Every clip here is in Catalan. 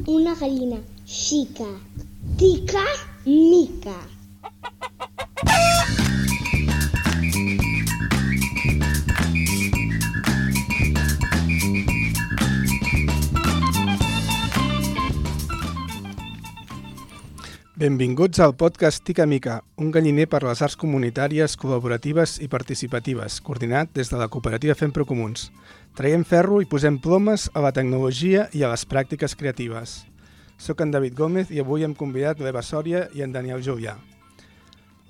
una gallina xica, tica, mica. Benvinguts al podcast Tica Mica, un galliner per les arts comunitàries, col·laboratives i participatives, coordinat des de la cooperativa Fem Procomuns. Traiem ferro i posem plomes a la tecnologia i a les pràctiques creatives. Soc en David Gómez i avui hem convidat l'Eva Sòria i en Daniel Julià.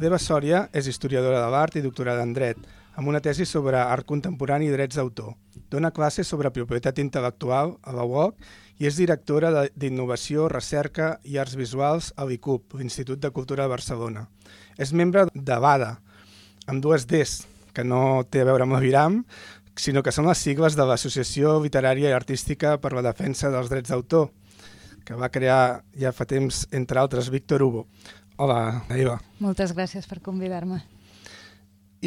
L'Eva Sòria és historiadora de l'art i doctorada en dret, amb una tesi sobre art contemporani i drets d'autor. Dona classes sobre propietat intel·lectual a la UOC i és directora d'Innovació, Recerca i Arts Visuals a l'ICUB, l'Institut de Cultura de Barcelona. És membre de l'ADA, amb dues Ds, que no té a veure amb l'Aviram, sinó que són les sigles de l'Associació Literària i Artística per la Defensa dels Drets d'autor, que va crear ja fa temps, entre altres, Víctor Hugo. Hola, Eva. Moltes gràcies per convidar-me.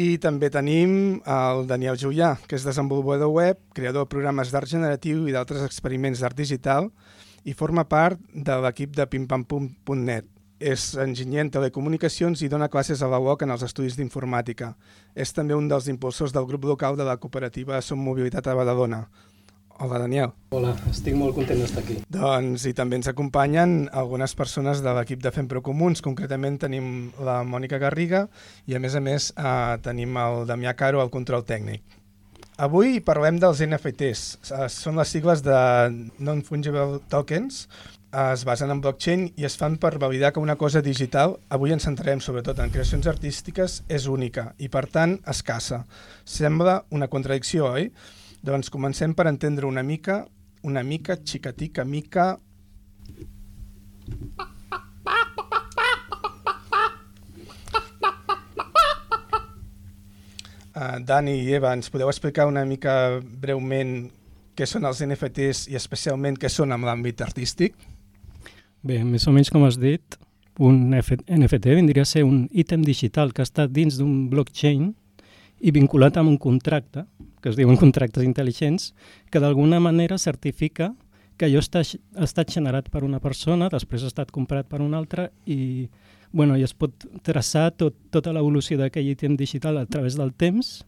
I també tenim el Daniel Julià, que és desenvolupador web, creador de programes d'art generatiu i d'altres experiments d'art digital i forma part de l'equip de pimpampum.net. És enginyer en telecomunicacions i dona classes a la UOC en els estudis d'informàtica. És també un dels impulsors del grup local de la cooperativa Som Mobilitat a Badalona. Hola, Daniel. Hola, estic molt content d'estar aquí. Doncs, i també ens acompanyen algunes persones de l'equip de Fem Procomuns. Concretament tenim la Mònica Garriga i, a més, tenim el Damià Caro al control tècnic. Avui parlem dels NFTs. Són les sigles de Non-Fungible Tokens. Es basen en blockchain i es fan per validar que una cosa digital, avui ens centrarem sobretot en creacions artístiques, és única i, per tant, escassa. Sembla una contradicció, oi? Doncs comencem per entendre una mica, xicatica, mica... Dani i Eva, ens podeu explicar una mica breument què són els NFTs i especialment què són en l'àmbit artístic? Bé, més o menys com has dit, un NFT vindria a ser un ítem digital que està dins d'un blockchain i vinculat amb un contracte, que es diuen contractes intel·ligents, que d'alguna manera certifica que allò ha estat generat per una persona, després ha estat comprat per una altra i es pot traçar tota l'evolució d'aquell ítem digital a través del temps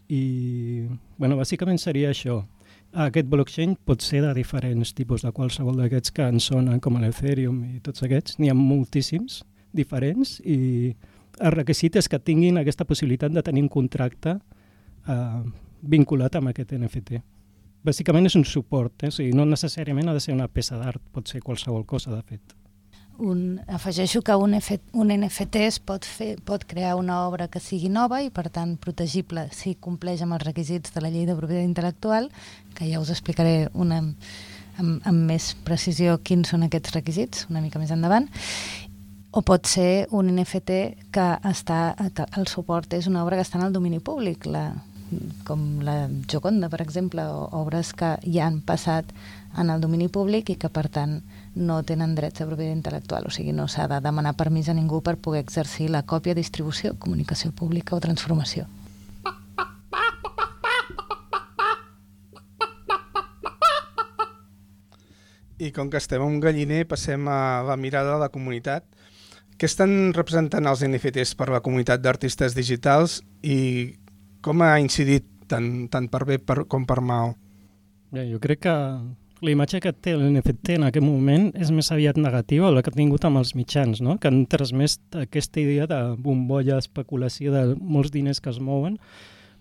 i bàsicament seria això. Aquest blockchain pot ser de diferents tipus, de qualsevol d'aquests que en sonen com l'Ethereum i tots aquests. N'hi ha moltíssims diferents i el requisit és que tinguin aquesta possibilitat de tenir un contracte vinculat amb aquest NFT. Bàsicament és un suport, o sigui, no necessàriament ha de ser una peça d'art, pot ser qualsevol cosa, de fet. Afegeixo que un NFT es pot crear una obra que sigui nova i, per tant, protegible si compleix amb els requisits de la llei de propietat intel·lectual, que ja us explicaré amb més precisió quins són aquests requisits, una mica més endavant. O pot ser un NFT que el suport és una obra que està en el domini públic, com la Gioconda, per exemple, o obres que ja han passat en el domini públic i que, per tant, no tenen drets de propietat intel·lectual. O sigui, no s'ha de demanar permís a ningú per poder exercir la còpia, distribució, comunicació pública o transformació. I com que estem en un galliner, passem a la mirada de la comunitat. Què estan representant els NFTs per la comunitat d'artistes digitals i com ha incidit tant per bé com per mal? Jo crec que la imatge que té l'NFT en aquest moment és més aviat negativa, la que ha tingut amb els mitjans, no? Que han transmès aquesta idea de bombolla, especulació, de molts diners que es mouen,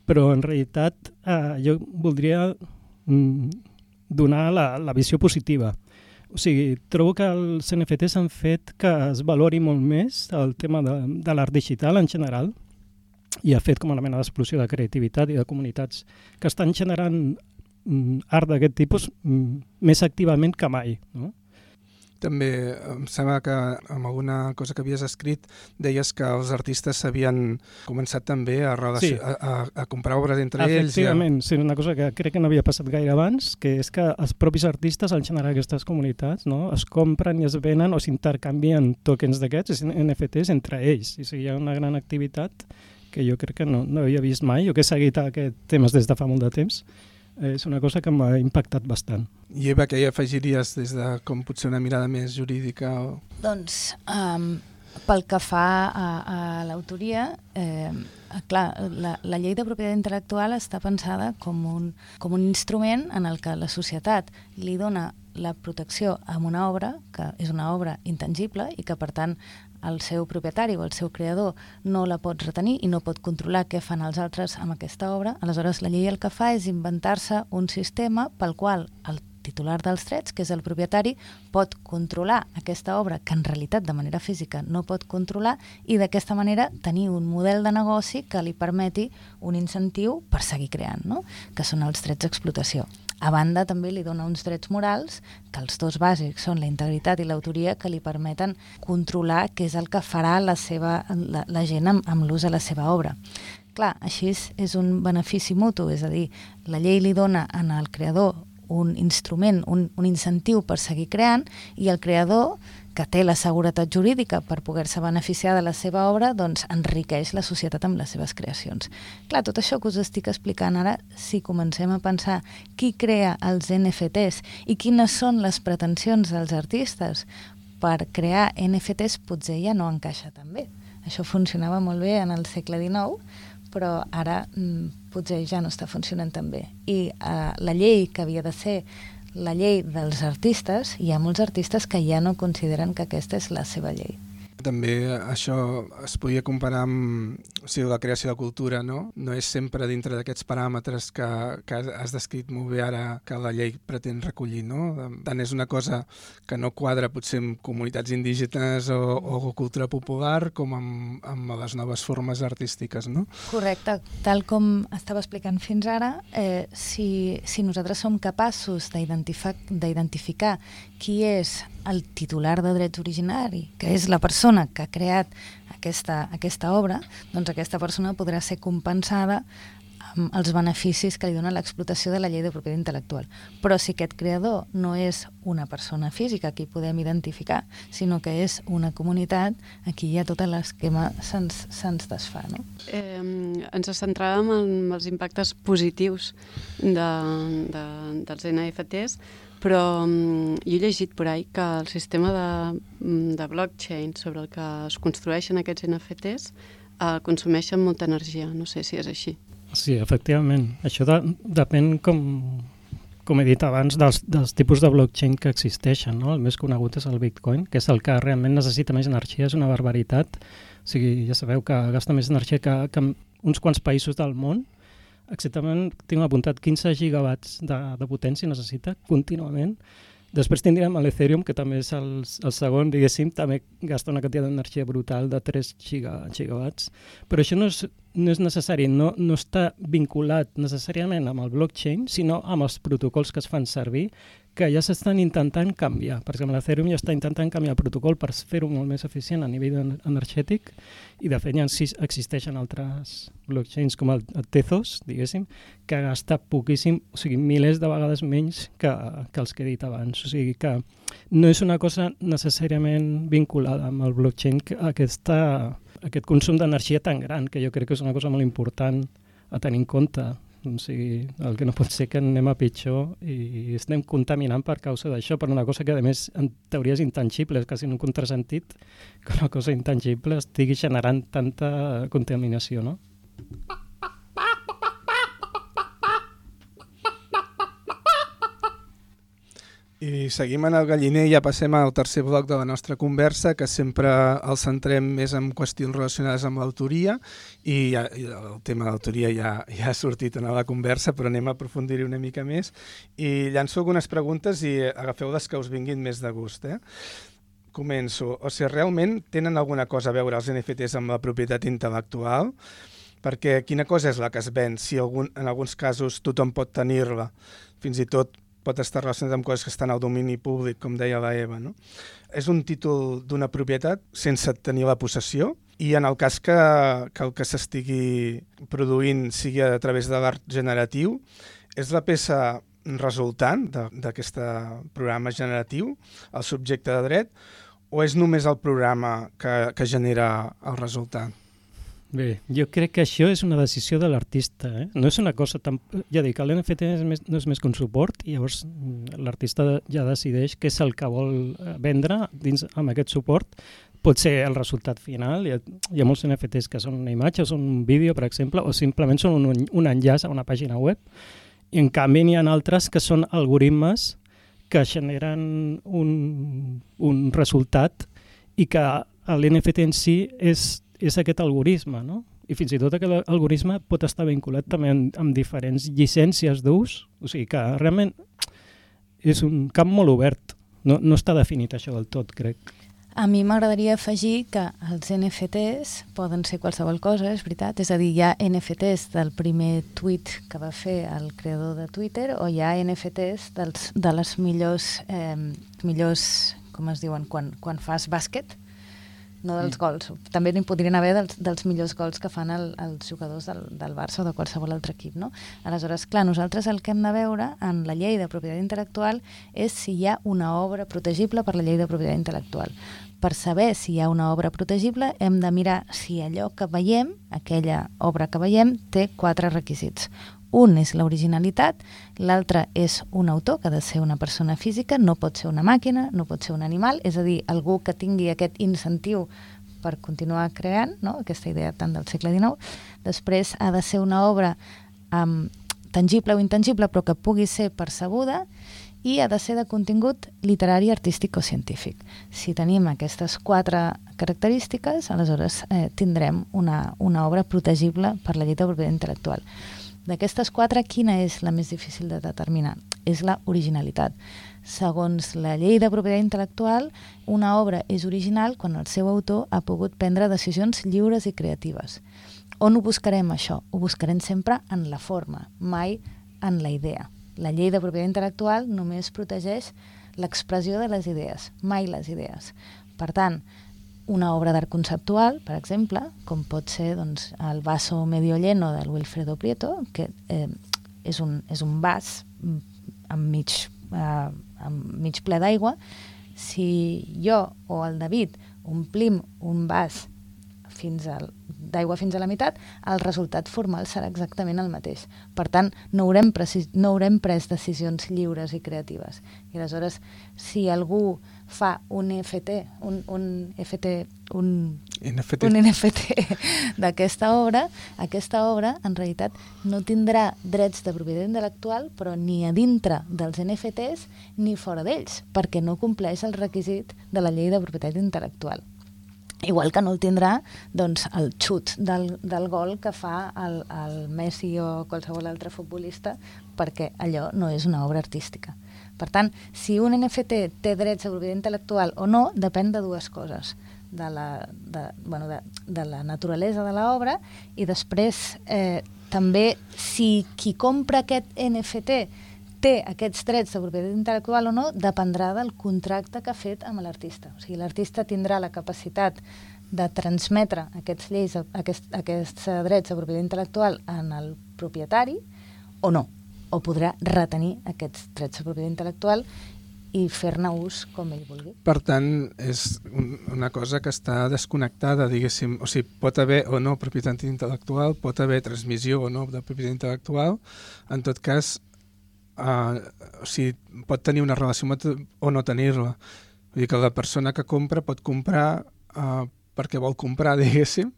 però en realitat jo voldria donar la visió positiva. O sigui, trobo que els NFTs han fet que es valori molt més el tema de l'art digital en general i ha fet com una mena d'explosió de creativitat i de comunitats que estan generant art d'aquest tipus més activament que mai, no? També em sembla que amb alguna cosa que havies escrit deies que els artistes s'havien començat també a comprar obres entre ells. Efectivament, sí, una cosa que crec que no havia passat gaire abans, que és que els propis artistes al generar aquestes comunitats, no, es compren i es venen o s'intercanvien tokens d'aquests, NFTs, entre ells. I hi ha una gran activitat que jo crec que no havia vist mai, o que he seguit aquests temes des de fa molt de temps, És una cosa que m'ha impactat bastant. I Eva, què hi afegiries des de com potser una mirada més jurídica? Doncs, pel que fa a l'autoria, clar, la llei de propietat intel·lectual està pensada com un instrument en el que la societat li dona la protecció a una obra, que és una obra intangible i que, per tant, el seu propietari o el seu creador no la pot retenir i no pot controlar què fan els altres amb aquesta obra. Aleshores, la llei el que fa és inventar-se un sistema pel qual el titular dels drets, que és el propietari, pot controlar aquesta obra que en realitat de manera física no pot controlar i d'aquesta manera tenir un model de negoci que li permeti un incentiu per seguir creant, no? Que són els drets d'explotació. A banda, també li dona uns drets morals, que els dos bàsics són la integritat i l'autoria, que li permeten controlar què és el que farà la gent amb l'ús de la seva obra. Clar, així és un benefici mutu, és a dir, la llei li dona al creador un instrument, un incentiu per seguir creant, i el creador, que té la seguretat jurídica per poder-se beneficiar de la seva obra, doncs enriqueix la societat amb les seves creacions. Clar, tot això que us estic explicant ara, si comencem a pensar qui crea els NFTs i quines són les pretensions dels artistes per crear NFTs, potser ja no encaixa tan bé. Això funcionava molt bé en el segle XIX, però ara potser ja no està funcionant tan bé. I la llei que havia de ser la llei dels artistes, hi ha molts artistes que ja no consideren que aquesta és la seva llei. També això es podia comparar amb la creació de cultura, no? No és sempre dintre d'aquests paràmetres que has descrit molt bé ara que la llei pretén recollir, no? Tant és una cosa que no quadra potser amb comunitats indígenes o cultura popular com amb les noves formes artístiques, no? Correcte. Tal com estava explicant fins ara, si nosaltres som capaços d'identificar qui és el titular de drets originari, que és la persona que ha creat aquesta obra, doncs aquesta persona podrà ser compensada amb els beneficis que li dona l'explotació de la llei de propietat intel·lectual. Però si aquest creador no és una persona física que hi podem identificar, sinó que és una comunitat, aquí ja tot l'esquema se'ns desfà, no? Ens centràvem en els impactes positius dels NFTs, però jo he llegit por ahí que el sistema de blockchain sobre el que es construeixen aquests NFTs consumeixen molta energia. No sé si és així. Sí, efectivament. Això depèn, com he dit abans, dels tipus de blockchain que existeixen, no? El més conegut és el Bitcoin, que és el que realment necessita més energia, és una barbaritat. O sigui, ja sabeu que gasta més energia que uns quants països del món. Exactament, tinc apuntat 15 gigawatts de potència necessita contínuament. Després tindríem l'Ethereum, que també és el segon, diguéssim, també gasta una quantitat d'energia brutal de 3 gigawatts. Però això no és necessari, no està vinculat necessàriament amb el blockchain, sinó amb els protocols que es fan servir, que ja s'estan intentant canviar. Per exemple, l'Ethereum ja està intentant canviar el protocol per fer-ho molt més eficient a nivell energètic, i de fet ja existeixen altres blockchains com el Tezos, diguéssim, que gasta poquíssim, o sigui, milers de vegades menys que els que he dit abans. O sigui que no és una cosa necessàriament vinculada amb el blockchain, aquest consum d'energia tan gran, que jo crec que és una cosa molt important a tenir en compte. O sigui, el que no pot ser que anem a pitjor i estem contaminant per causa d'això, per una cosa que a més en teoria és intangible, és quasi un contrasentit que una cosa intangible estigui generant tanta contaminació, no? I seguim en el galliner i ja passem al tercer bloc de la nostra conversa, que sempre el centrem més en qüestions relacionades amb l'autoria, i el tema de l'autoria ja ha sortit en la conversa, però anem a aprofundir-hi una mica més. I llanço algunes preguntes i agafeu les que us vinguin més de gust. Començo. O sigui, realment tenen alguna cosa a veure els NFTs amb la propietat intel·lectual? Perquè quina cosa és la que es ven? Si en alguns casos tothom pot tenir-la, fins i tot pot estar relacionat amb coses que estan al domini públic, com deia la Eva, no? És un títol d'una propietat sense tenir la possessió, i en el cas que el que s'estigui produint sigui a través de l'art generatiu, és la peça resultant d'aquest programa generatiu, el subjecte de dret, o és només el programa que genera el resultat? Bé, jo crec que això és una decisió de l'artista. No és una cosa tan... Ja dic, l'NFT no és més que un suport i llavors l'artista ja decideix què és el que vol vendre dins amb aquest suport. Pot ser el resultat final. Hi ha molts NFTs que són una imatge, o són un vídeo, per exemple, o simplement són un enllaç a una pàgina web. I en canvi n'hi ha altres que són algoritmes que generen un resultat i que l'NFT en si és aquest algoritme, no? I fins i tot aquest algoritme pot estar vinculat també amb diferents llicències d'ús, o sigui que realment és un camp molt obert, no està definit això del tot, crec. A mi m'agradaria afegir que els NFTs poden ser qualsevol cosa, és veritat, és a dir, hi ha NFTs del primer tuit que va fer el creador de Twitter o hi ha NFTs de les millors, com es diuen, quan fas bàsquet, no dels gols. També n'hi podrien haver dels millors gols que fan els jugadors del Barça o de qualsevol altre equip, no? Aleshores, clar, nosaltres el que hem de veure en la llei de propietat intel·lectual és si hi ha una obra protegible per la llei de propietat intel·lectual. Per saber si hi ha una obra protegible hem de mirar si allò que veiem, aquella obra que veiem, té 4 requisits. Un és l'originalitat, l'altre és un autor, que ha de ser una persona física, no pot ser una màquina, no pot ser un animal, és a dir, algú que tingui aquest incentiu per continuar creant, no? Aquesta idea tant del segle XIX. Després ha de ser una obra tangible o intangible, però que pugui ser percebuda, i ha de ser de contingut literari, artístic o científic. Si tenim aquestes 4 característiques, aleshores tindrem una obra protegible per la llei de propietat intel·lectual. D'aquestes 4, quina és la més difícil de determinar? És la originalitat. Segons la llei de propietat intel·lectual, una obra és original quan el seu autor ha pogut prendre decisions lliures i creatives. On ho buscarem, això? Ho buscarem sempre en la forma, mai en la idea. La llei de propietat intel·lectual només protegeix l'expressió de les idees, mai les idees. Per tant, una obra d'art conceptual, per exemple, com pot ser doncs, el vaso medio lleno del Wilfredo Prieto, que és un vas amb mig ple d'aigua. Si jo o el David omplim un vas d'aigua fins a la meitat, el resultat formal serà exactament el mateix. Per tant, no haurem pres decisions lliures i creatives. I aleshores, si algú fa un NFT d'aquesta obra, aquesta obra en realitat no tindrà drets de propietat intel·lectual, però ni a dintre dels NFTs ni fora d'ells, perquè no compleix el requisit de la llei de propietat intel·lectual. Igual que no el tindrà doncs, el xut del gol que fa el Messi o qualsevol altre futbolista, perquè allò no és una obra artística. Per tant, si un NFT té drets de propietat intel·lectual o no, depèn de 2 coses. De la naturalesa de l'obra i després també si qui compra aquest NFT té aquests drets de propietat intel·lectual o no, dependrà del contracte que ha fet amb l'artista. O sigui, l'artista tindrà la capacitat de transmetre aquests drets de propietat intel·lectual en el propietari o no, o podrà retenir aquests drets de propietat intel·lectual i fer-ne ús com ell vulgui. Per tant, és una cosa que està desconnectada, diguéssim. O sigui, pot haver o no propietat intel·lectual, pot haver transmissió o no de propietat intel·lectual. En tot cas, o sigui, pot tenir una relació o no tenir-la. Vull dir que la persona que compra pot comprar perquè vol comprar, diguéssim,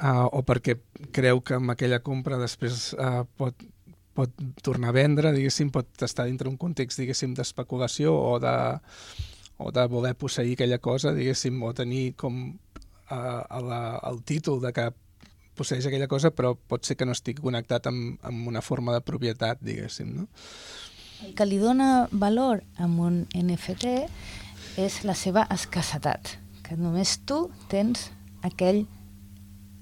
o perquè creu que amb aquella compra després pot tornar a vendre, diguéssim, pot estar dintre un context, diguéssim, d'especulació o de voler posseir aquella cosa, diguéssim, o tenir com el títol de que posseix aquella cosa, però pot ser que no estigui connectat amb una forma de propietat, diguéssim, no? El que li dona valor a un NFT és la seva escassetat, que només tu tens aquell,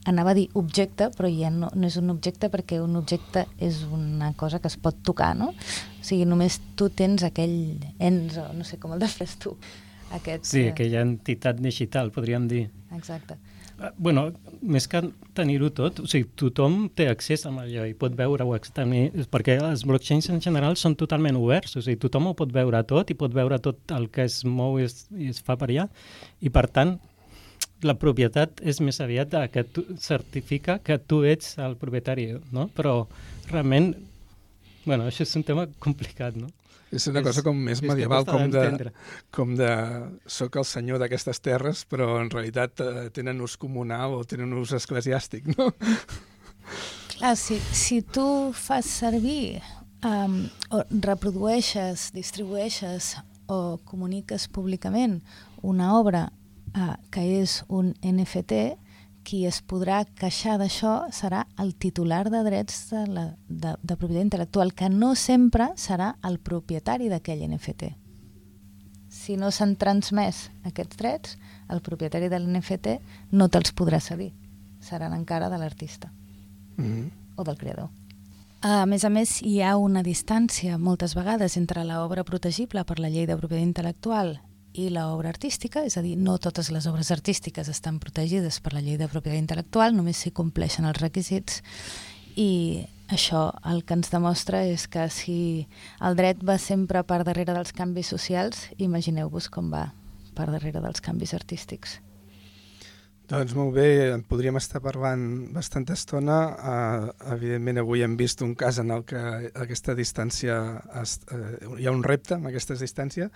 anava a dir objecte, però ja no és un objecte perquè un objecte és una cosa que es pot tocar, no? O sigui, només tu tens aquell ens, o no sé com el defines tu. Sí, aquella entitat digital, podríem dir. Exacte. Bueno, més que tenir-ho tot, o sigui, tothom té accés a allò i pot veure-ho, perquè els blockchains en general són totalment oberts, o sigui, tothom ho pot veure tot i pot veure tot el que es mou i es fa per allà, i per tant, la propietat és més aviat que tu certifica que tu ets el propietari, no? Però realment, bueno, això és un tema complicat, no? És una cosa com més medieval, com de soc el senyor d'aquestes terres, però en realitat tenen ús comunal o tenen ús eclesiàstic, no? Clar, si tu fas servir o reprodueixes, distribueixes o comuniques públicament una obra que és un NFT, qui es podrà queixar d'això serà el titular de drets de propietat intel·lectual, que no sempre serà el propietari d'aquell NFT. Si no s'han transmès aquests drets, el propietari de l'NFT no te'ls podrà cedir. Seran encara de l'artista o del creador. A més, hi ha una distància moltes vegades entre l'obra protegible per la llei de propietat intel·lectual i l'obra artística, és a dir, no totes les obres artístiques estan protegides per la llei de propietat intel·lectual, només si compleixen els requisits, i això el que ens demostra és que si el dret va sempre per darrere dels canvis socials, imagineu-vos com va per darrere dels canvis artístics. Doncs molt bé, en podríem estar parlant bastanta estona. Evidentment avui hem vist un cas en el que aquesta distància, hi ha un repte amb aquesta distància,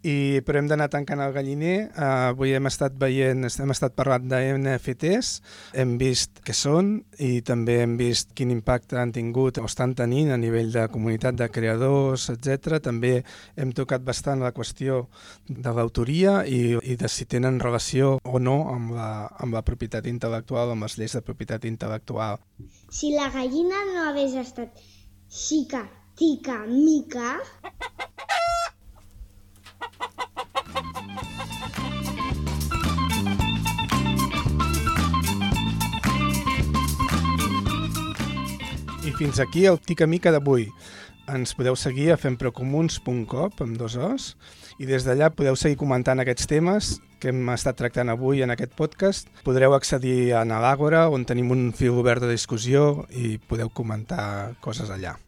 però hem d'anar tancant el galliner. Avui hem estat parlant de NFTs, hem vist què són i també hem vist quin impacte han tingut o estan tenint a nivell de comunitat de creadors, etc. També hem tocat bastant la qüestió de l'autoria i de si tenen relació o no amb la propietat intel·lectual, amb les lleis de propietat intel·lectual. Si la gallina no hagués estat xica, tica, mica... I fins aquí el Tica Mica d'avui. Ens podeu seguir a femprocomuns.com amb 2 os i des d'allà podeu seguir comentant aquests temes que hem estat tractant avui en aquest podcast. Podreu accedir a l'Àgora, on tenim un fil obert de discussió i podeu comentar coses allà.